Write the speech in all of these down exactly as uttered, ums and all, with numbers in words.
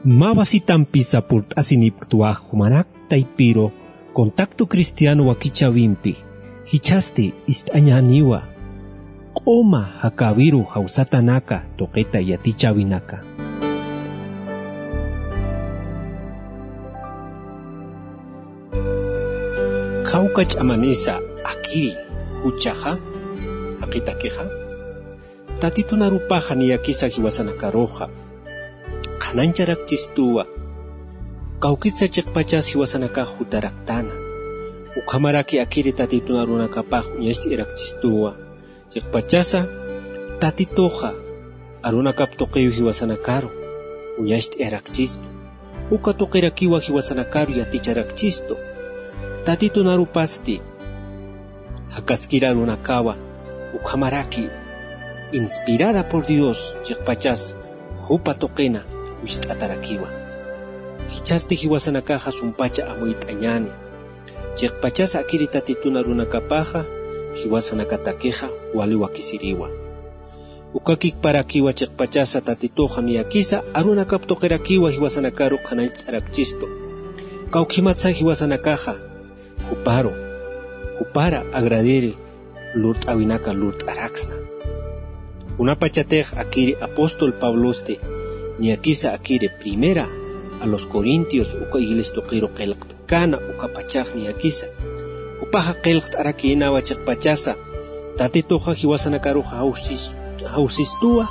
Mä wasitampisa purt'asinipktwa jumanak taypiru Contacto Cristiano wakichäwimpi, jichhasti ist'añäniwa q'uma jakäwiru jawsatanaka tuqita yatichäwinaka. Khawka ch'amanisa akiri juchaxa, jaqitakixa, Tatitun arupaxa niyakisa jiwasanakaruxa qhanañcharakchistuwa. Kawkitsa chiqpachas jiwasanakax jutaraktana. Ukhamaraki akiri Tatitun arunakapax uñacht'ayarakchistuwa. Chiqpachasa Tatituxa arunakap tuqiw jiwasanakaru uñacht'ayarakchistu. Uka tuqirakiwa jiwasanakaru yaticharakchistu. Tatitun arupasti jakaskir arunakawa, ukhamaraki inspirada por Dios chiqpachas jupa tuqina wist'atarakiwa. Jichhasti jiwasanakaxa sumpacha amuyt'añäni. Chiqpachas akiri Tatitun arunakapaxa jiwasanakatakixa wali wakisiriwa. Uka kikparakiwa chiqpachasa Tatituxa niyakisa arunakap tuqirakiwa jiwasanakaru qhanañcht'arakchistu. Kawkhimatsa jiwasanakaxa juparu, jupara agradiri lurt'äwinaka lurt'araksna. Kunapachatix akiri apóstol Pablosti niyakisa akiri Primera a los Corintios uka iglesia tuqiru qillqt'kana ukapachax niyakisa. Jupaxa qillqt'arakïnawa chiqpachasa Tatituxa jiwasanakaruxa jawsis-, jawsistuwa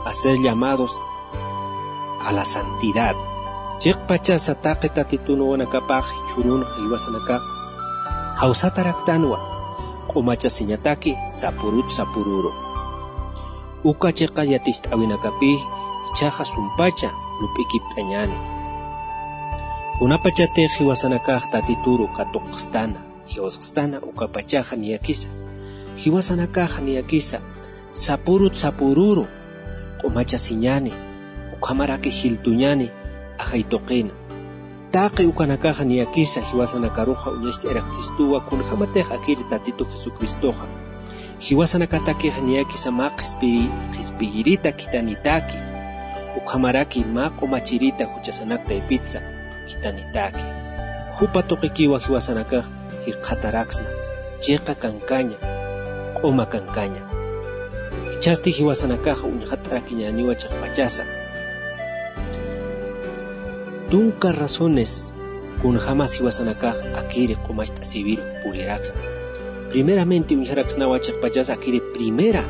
a ser llamados a la santidad. Chiqpachasa taqi Tatitun wawanakapax jichhürunxa jiwasanakax jawsataraktanwa, q'umachasiñataki sapurut sapururu. Uka chiqa yaticht'äwinakapï jichhaxa sumpacha lup'ikipt'añäni. Kunapachatix jiwasanakax Tatituru katuqstana, jiwasxstana ukapachaxa niyakisa. Jiwasanakaxa niyakisa sapurut sapururu q'umachasiñäni, ukhamaraki jiltuñäni ajay tuqina. Taqi ukanakaxa niyakisa jiwasanakaruxa uñacht'ayarakchistuwa kunjämatix akiri Tatitu Jesucristoxa jiwasanakatakixa niyakisa mä qhispiri-, qhispiyirita khitanitaki, ukhamaraki mä q'umachirita juchasanak taypitsa khitanitaki. Jupa tuqikiwa jiwasanakax jikxataraksna, chiqa kankaña, q'uma kankaña. Jichhasti jiwasanakaxa uñxat'arakiñäniwa chiqpachasa. Tunka razones kunjämas jiwasanakax akiri q'umacht'asiwiru puriraksna. Primeramente uñjaraksnawa chiqpachasa akiri Primera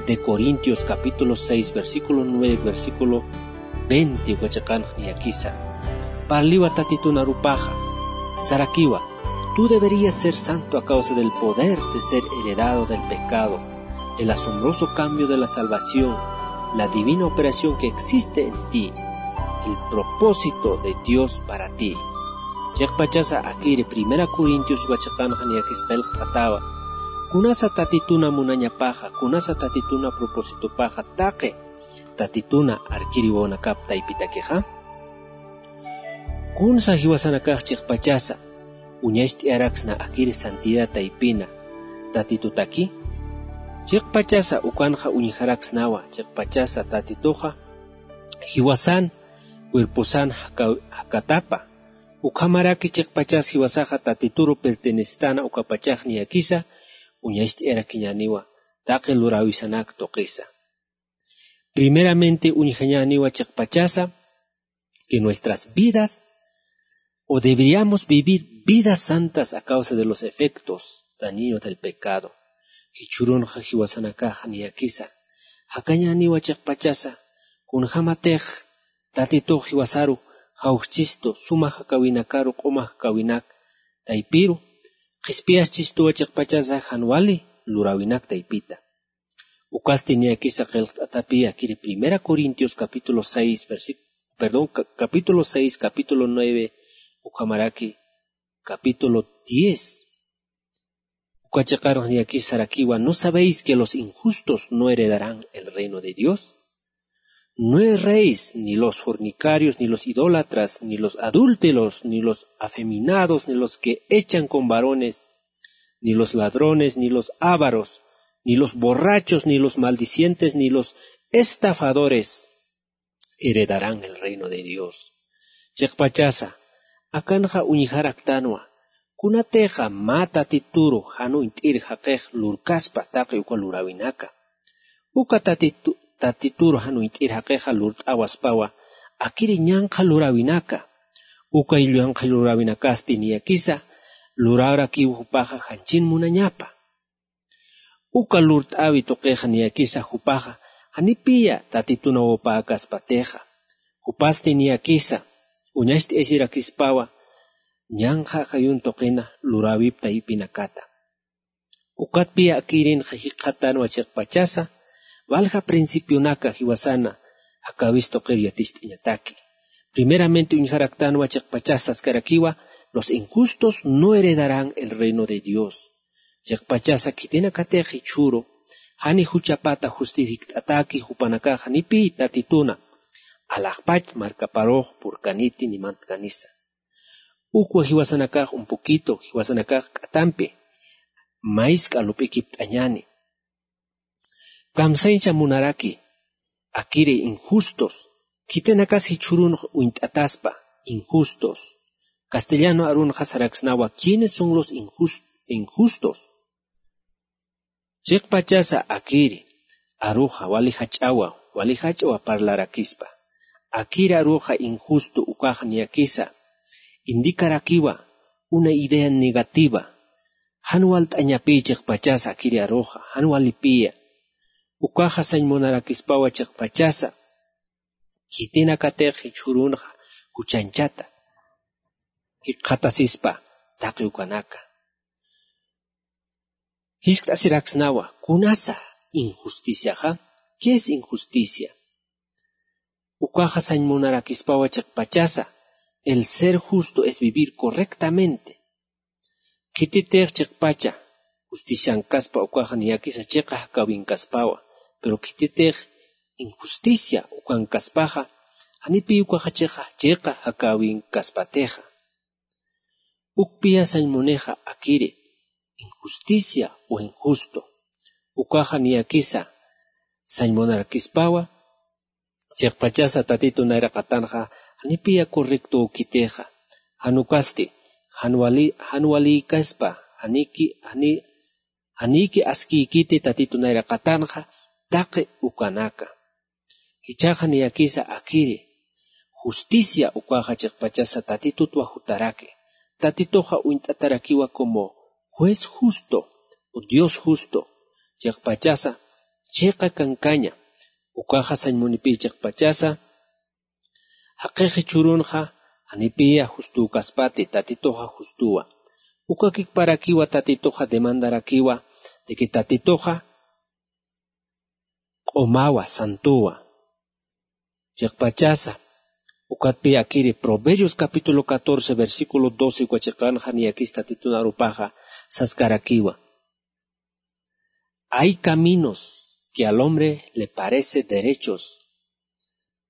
de Corintios capítulo seis, versículo nueve, versículo veinte uka chiqanx niyakisa. Parliwa Tatitun arupaxa, sarakiwa: "Tú deberías ser santo a causa del poder de ser heredado del pecado, el asombroso cambio de la salvación, la divina operación que existe en ti, el propósito de Dios para ti". Chiqpachasa akiri Primera Corintios uka chiqanxa niyakis qillqt'atawa. Kunasa Tatituna munañapaxa, kunasa Tatituna propósitopaxa taqi Tatituna arkiri wawanakap taypitakixa? Kunsa jiwasanakax chiqpachasa uñacht'ayaraksna akiri santidad taypina Tatitutaki? Chiqpachasa ukanxa uñjaraksnawa, chiqpachasa Tatituxa jiwasan, cuerposan jaka-, jakatapa. Ukhamaraki chiqpachas jiwasaxa Tatituru pertenecestana ukapachax niyakisa uñacht'ayarakiñäniwa taqi luräwisanak tuqisa. Primeramente uñjañäniwa chiqpachasa que nuestras vidas, o deberíamos vivir vidas santas a causa de los efectos dañinos del pecado. Jichhürunxa jiwasanakaxa niyakisa jakañäniwa chiqpachasa, kunjämatix Tatitux jiwasaru jawschistu suma jakäwinakaru q'uma jakäwinak taypiru, qhispiyaschistuwa chiqpachasa jan wali luräwinak taypita. Ukasti niyakisa qillqt'atapi akiri Primera Corintios capítulo seis, versi-, perdón, ca-, capítulo seis, capítulo nueve, ukhamaraki capítulo diez. Uka chiqanx niyakisa sarakiwa: ¿No sabéis que los injustos no heredarán el reino de Dios? No erréis, ni los fornicarios, ni los idólatras, ni los adúlteros, ni los afeminados, ni los que echan con varones, ni los ladrones, ni los ávaros, ni los borrachos, ni los maldicientes, ni los estafadores heredarán el reino de Dios. Chiqpachasa akanxa uñjaraktanwa, kunatixa mä tatituru jan uñt'ir jaqix lurkaspa taqi uka luräwinaka. Uka tatitu tatituru jan uñt'ir jaqixa lurt'awaspawa akiri ñanqha luräwinaka. Uka ñanqha luräwinakasti niyakisa luräwarakiw jupaxa janchin munañapa. Uka lurt'äwi tuqixa niyakisa jupaxa janipiya tatitun awpäkaspatixa. Jupasti niyakisa uñacht'ayasirakispawa ñanqha ajayun tuqina luräwip taypinakata. Ukatpiya akirinxa jikxatanwa chiqpachasa walja principionaka jiwasana jakäwis tuqir yaticht'añataki. Primeramente uñjaraktanwa chiqpachasa saskarakiwa, los injustos no heredarán el reino de Dios. Chiqpachasa khitinakatix jichhüru jani juchapata justifikt'ataki jupanakax janipiy tatituna alaxpach markaparux purkaniti ni mantkanisa. Ukwa jiwasanakax un poquito jiwasanakax k'atampi maysk'a lup'ikipt'añäni. Kamsañsa munaraki akiri injustos, khitinakas jichhürunx uñt'ataspa injustos. Castellano arunxa saraksnawa quiénes son los injustos. Chiqpachasa akiri aruxa wali jach'awa wali jach'awa parlarakispa. Akiri aruxa injusto ukax niyakisa indikarakiwa una idea negativa. Jan walt'añapi chiqpachasa akiri aruxa jan walipiya. Ukaxa sañ munarakispawa chiqpachasa khitinakatix jichhürunxa juchanchata jikxatasispa taqi ukanaka. Jiskt'asiraksnawa kunasa injusticiaxa? ¿Qué es injusticia? Ukaxa sañ munarakispawa chiqpachasa el ser justo es vivir correctamente. Khititix chiqpacha justiciankaspa ukaxa niyakisa chiqa jakäwinkaspawa. Pero khititix injusticia ukankaspaxa janipiy ukaxa chiqa chiqa jakäwinkaspatixa. Ukpiya sañ munixa akiri injusticia o injusto. Ukaxa niyakisa sañ munarakispawa chiqpachasa tatitu nayraqatanxa janipiya correcto ukitixa. Jan ukasti jan wali jan walïkaspa janiki jani janiki askïkiti tatitu nayraqatanxa taqi ukanaka. Jichhaxa niyakisa akiri justicia ukaxa chiqpachasa tatitutwa jutaraki. Tatituxa uñt'atarakiwa como juez justo o dios justo. Chiqpachasa chiqa kankaña. Ukaxa sañ munipi chiqpachasa jaqix jichhürunxa janipiya justükaspati tatituxa justuwa. Ukakikparakiwa tatituxa demandarakiwa de que tatituxa q'umawa santuwa. Chiqpachasa ukatpi akiri proverbios capítulo catorce versículo doce uka chiqanxa niyakis tatitun arupaxa saskarakiwa. Hay caminos que al hombre le parece derechos,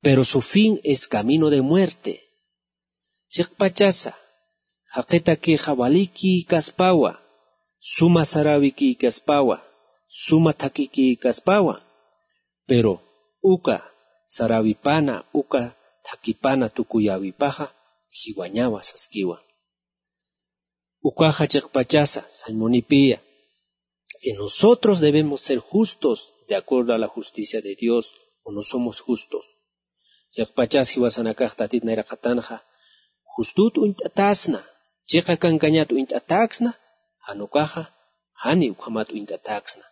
pero su fin es camino de muerte. Chiqpachasa jaqitakixa walikïkaspawa suma saräwikïkaspawa suma thakikïkaspawa. Pero uka saräwipana uka thakipana tukuyäwipaxa jiwañawa saskiwa. Ukaxa chiqpachasa sañ munipiya que nosotros debemos ser justos de acuerdo a la justicia de dios o no somos justos. Chiqpachas jiwasanakax tatit nayraqatanxa justut uñt'atasna chiqa kankañat uñt'ataksna jan ukaxa jani ukhamat uñt'ataksna.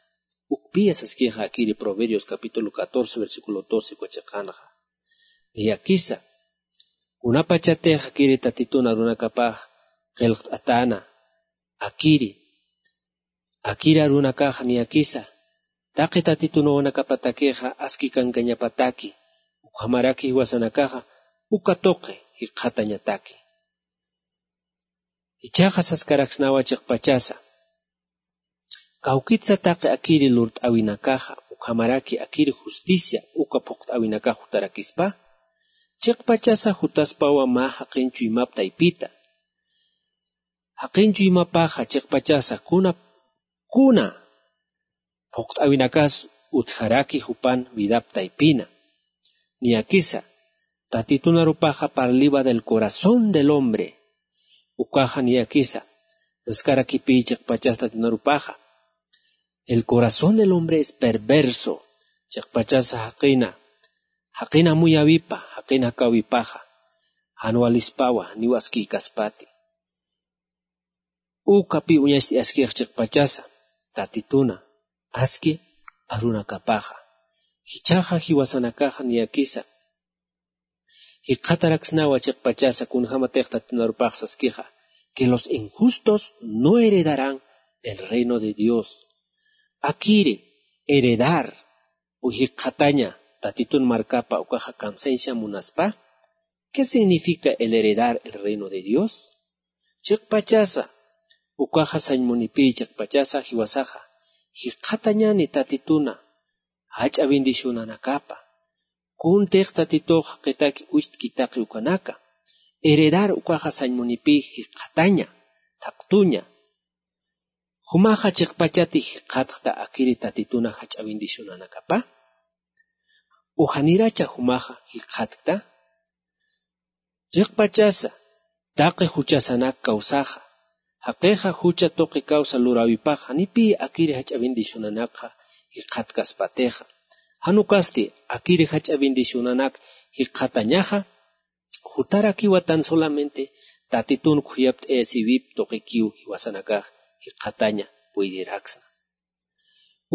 Ukpiya saskixa akiri proverbios capítulo catorce versículo doce uka chiqanxa. Niyakisa kunapachatix akiri tatitun arunakapax qillqt'atäna akiri akir arunakaxa niyakisa taqi tatitunawanakapatakixa aski kankañapataki ukhamaraki jiwasanakaxa uka tuqi jikxatañataki. Ichhaxa saskaraksnawa chiqpachasa kawkitsa taqi akiri lurt'äwinakaxa ukhamaraki akiri justicia uka phuqt'äwinakax jutarakispa. Chiqpachasa jutaspawa mä jaqin chuymap taypita jaqin chuymapaxa chiqpachasa kuna kuna phuqt'äwinakas utjaraki jupan vidap taypina. Niyakisa Tatitunarupaxa parliwa del corazón del hombre. Ukaxa niyakisa saskarakipi chiqpachasa tatitunarupaxa. El corazón del hombre es perverso. Chiqpachasa jaqina jaqina muyawipa jaqina jakawipaxa, jan walispawa niw askïkaspati. Ukapi uñacht'ayaskix chiqpachasa tatituna aski arunakapaxa. Jichhaxa jiwasanakaxa niyakisa jikxataraksnawa chiqpachasa kunjämatix tatitunarupax saskixa que los injustos no heredarán el reino de Dios. Akiri heredar o jikxataña tatitun markapa ukaxa kamsañsa munaspa. ¿Qué significa el heredar el reino de Dios? Chiqpachasa ukaxa sañ munipï chiqpachasa jiwasaxa jikxatañani tatituna jach'a bendicionanakapa. Kuntix tatitux jaqitaki ucht'ki taqi ukanaka. Heredar ukaxa sañ munipï jikxataña thaqtuña. Jumaxa chiqpachati jikxatkta akiri tatituna jach'a bendicionanakapa? O janiracha jumaxa jikxatkta? Chiqpachasa taqi juchasanak kawsaxa jaqixa jucha tuqi kawsa luräwipax janipï akiri jach'a bendicionanakxa jikxatkaspatixa. Jan ukasti akiri jach'a bendicionanak jikxatañaxa jutarakiwa tan solamente tatitun khuyapt'ayasiwip tuqikiw jiwasanakax jikxataña puydiraksna.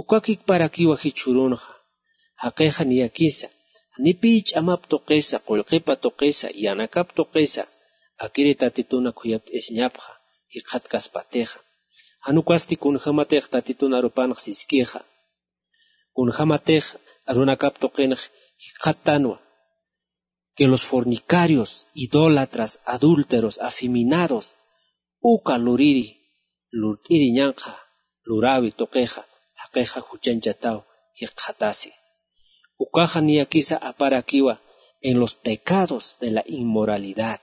Ukakikparakiwa jichhürunxa jaqixa niyakisa janipï ch'amap tuqisa qullqipa tuqisa yanakap tuqisa akiri tatituna khuyapt'ayasiñapxa jikxatkaspatixa. Jan ukasti kunjämatix tatitun arupanx siskixa kunjämatix arunakap tuqinx jikxattanwa que los fornicarios, idólatras, adúlteros, afeminados uka luriri lurt'iri ñanqha luräwi tuqixa jaqixa juchañchataw jikxatasi. Ukaxa niyakisa aparakiwa en los pecados de la inmoralidad.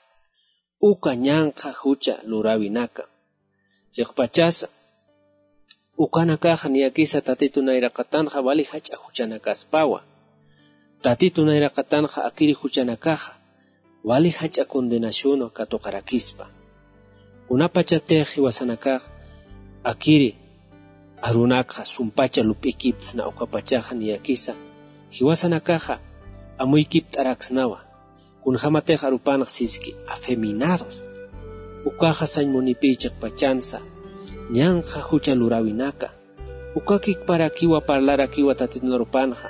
Uka ñanqha jucha luräwinaka chiqpachasa ukanakaxa niyakisa tatitu nayraqatanxa wali jach'a juchanakaspawa. Tatitu nayraqatanxa akiri juchanakaxa wali jach'a condenacionwa katuqarakispa. Kunapachatix jiwasanakax akiri arunakxa sumpacha lup'ikiptsna ukapachaxa niyakisa jiwasanakaxa amuykipt'araksnawa. Kunjämatix arupanx siski afeminados ukaxa sañ munipï chiqpachansa ñanqha jucha luräwinaka. Ukakikparakiwa parlarakiwa tatitu narupanxa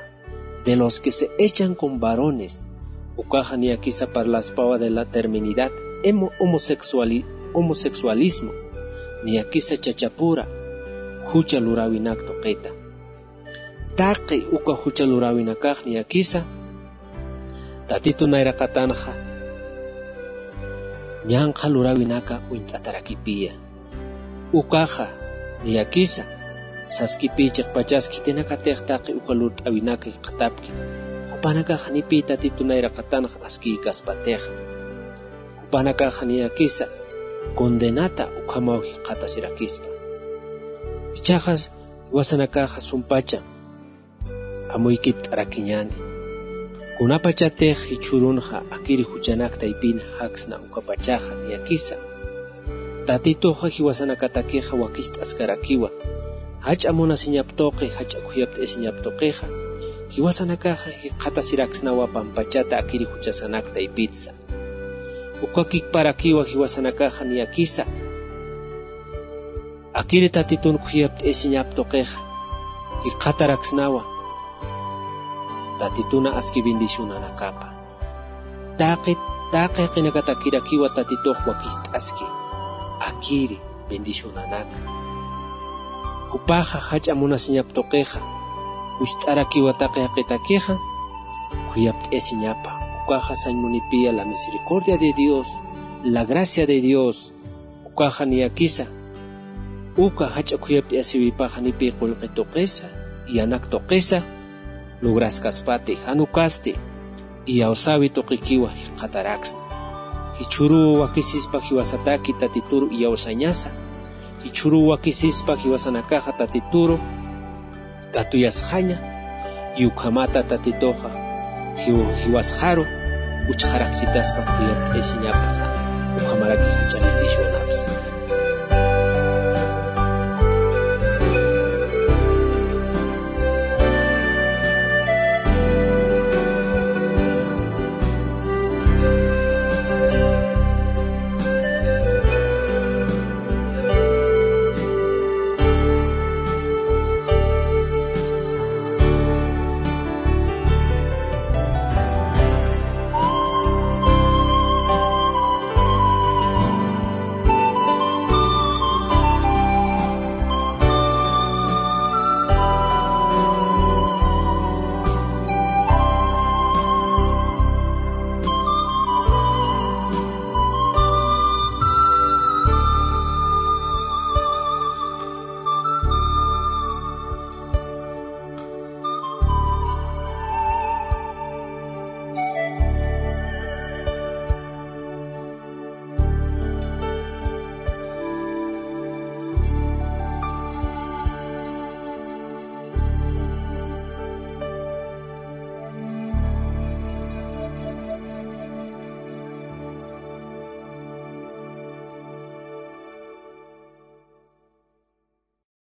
de los que se echan con varones. Ukaxa niyakisa parlaspawa de la terminidad homosexualismo. Niyakisa chachapura jucha luräwinak tuqita. Taqi uka jucha luräwinakax niyakisa tatitu nayraqatanxa ñanqha luräwinaka uñt'atarakipïya. Ukaxa niyakisa saskipï chiqpachas khitinakatix taqi uka lurt'äwinaka jikxatapki jupanakax janipï tatitu nayraqatanxa askïkaspatixa. Jupanakaxa niyakisa condenata ukhamaw jikxatasirakispa. Ichhaxa jiwasanakaxa sumpacha amuykipt'arakiñäni. Kunapachatix jichhürunxa akiri juchanak taypin jaksna ukapachaxa niyakisa tatituxa jiwasanakatakixa wakicht'askarakiwa jach'a munasiñap tuqi jach'a khuyapt'ayasiñap tuqixa jiwasanakaxa jikxatasiraksnawa pampachata akiri juchasanak taypitsa. Ukakikparakiwa jiwasanakaxa niyakisa akiri tatitun khuyapt'ayasiñap tuqixa jikxataraksnawa tatituna aski bendicionanakapa. Taqi taqi jaqinakatakirakiwa tatitux wakicht'aski akiri bendicionanaka. Jupaxa jach'a munasiñap tuqixa jucht'arakiwa taqi jaqitakixa khuyapt'ayasiñapa. Ukaxa sañ munipïya la misericordia de Dios, la gracia de Dios. Ukaxa niyakisa uka jach'a khuyapt'ayasiwipax janipï qullqi tuqisa yanak tuqisa lograskaspati. Jan ukasti iyawsäwi tuqikiwa jikxataraksna. Jichhüruw wakisispa jiwasataki tatituru iyawsañasa. Jichhüruw wakisispa jiwasanakaxa tatituru katuyasxaña. Ukhamata tatituxa jiw- jiwasxaru uchxarakchitaspa, khuyapt'ayasiñapasa, ukhamaraki jach'a bendicionapsa.